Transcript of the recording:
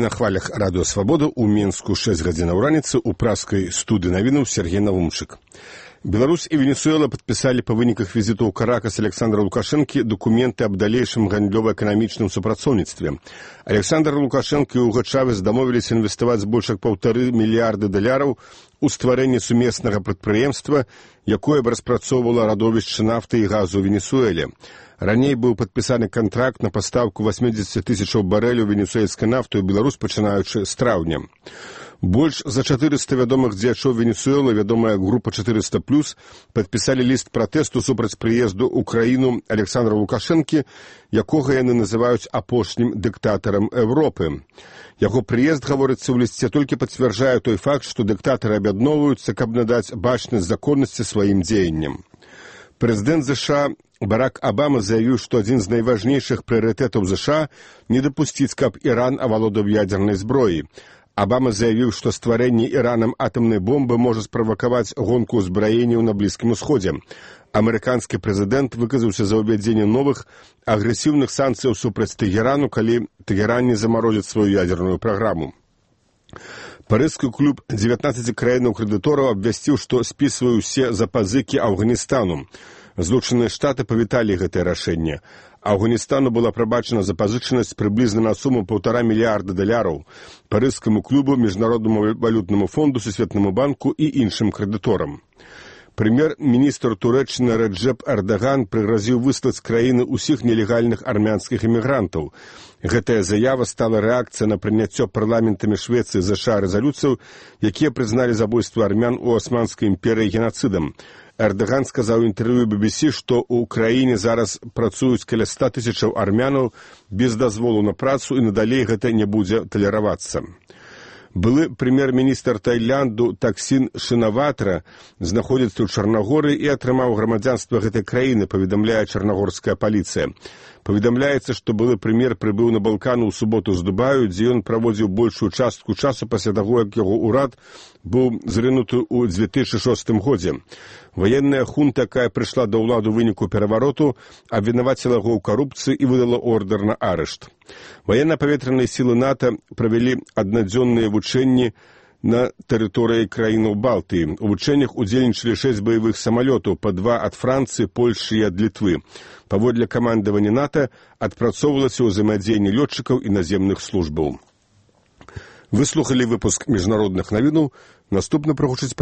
На хвалях радыё «Свабода» ў Мінску 6 гадзінаў раніцы ў праскай студыі навінаў Сергей Навумчык. Беларусь і Венесуэла падпісалі па выніках візіту ў Каракас Александра Лукашэнкі дакументы аб далейшым гандлёва-эканамічным супрацоўніцтве. Александр Лукашэнкі і Уго Чавес дамовіліся інвеставаць больш як $1,5 мільярда у стварэнне сумеснага прадпрыемства, якое б распрацоўвала радовішчы нафты і газу ў Венесуэле. Раней быў падпісаны кантракт на пастаўку 80 тысячаў барэляў венесуэльскай нафты ў Беларусь, пачынаючы з траўня. Больш за 400 вядомых дзеячоў Венесуэлы, вядомая група 400+, падпісалі ліст пратэсту супраць прыезду ў краіну Александра Лукашэнкі, якога яны называюць апошнім дыктатарам Европы. Яго прыезд, гаворыцца ў лісце, толькі пацвярджае той факт, што дыктатары аб'ядноўваюцца, каб надаць бачнасць законнасці сваім дзеянням. Прэзідэнт США Барак Абама заявіў, што адзін з найважнейшых прыярытэтаў США не дапусціць, каб Іран авалодаў ядзернай зброяй. Абама заявіў, што стварэнне Іранам атамнай бомбы можа справакаваць гонку ўзбраенняў на Блізкім Усходзе. Амерыканскі прэзідэнт выказаўся за ўвядзенне новых агрэсіўных санкцыяў супраць Тэгерану, калі Тэгеран не замарозіць сваю ядерную праграму. Парыжскі клуб 19 краінаў-крэдытораў абвясціў, што спісвае ўсе запазыкі Афганістану. Злучаныя Штаты павіталі гэтае рашэнне. Афганістану была прабачана запазычанасць прыблізна на суму $1,5 мільярда. Парыжскаму клубу, Міжнароднаму валютнаму фонду, Сусветнаму банку і іншым крэдыторам. Прэм'ер-міністр Турэччыны Рэджэп Эрдаган прыгразіў выслаць з краіны ўсіх нелегальных армянскіх эмігрантаў. Гэтая заява стала рэакцыя на прыняццё парламентамі Швецыі і ЗША рэзалюцыяў, якія прызналі забойства армян у Османскай імперыі генацыдам. Эрдаган сказаў у інтэрв'ю BBC, што ў краіне зараз працуюць каля 100 тысячаў армянаў без дазволу на працу, і надалей гэта не будзе талеравацца. Былы прэм'ер-міністр Таіланду Таксін Шинаватра знаходзіцца ў Чарнагорыі і атрымаў грамадзянства гэтай краіны, паведамляе чарнагорская паліцыя. Паведамляецца, што былы прэм'ер прыбыў на Балкану ў суботу з Дубаю, дзе ён праводзіў большую частку часу пасля таго, як яго ўрад быў зрынуты ў 2006 годзе. Ваенная хунта, якая прыйшла да ўладу ў выніку перавароту, абвінаваціла яго ў карупцыі і выдала ордэр на арышт. Ваенна-паветраныя сілы НАТО правялі аднадзённыя вучэнні на тэрыторыі краінаў Балтыі. У вучэннях удзельнічалі 6 баявых самалётаў, па 2 ад Францыі, Польшы і ад Літвы. Паводле камандавання НАТО адпрацоўвалася ўзаемадзеянне лётчыкаў і наземных службаў. Выслухалі выпуск міжнародных навінаў. Наступна прагучыць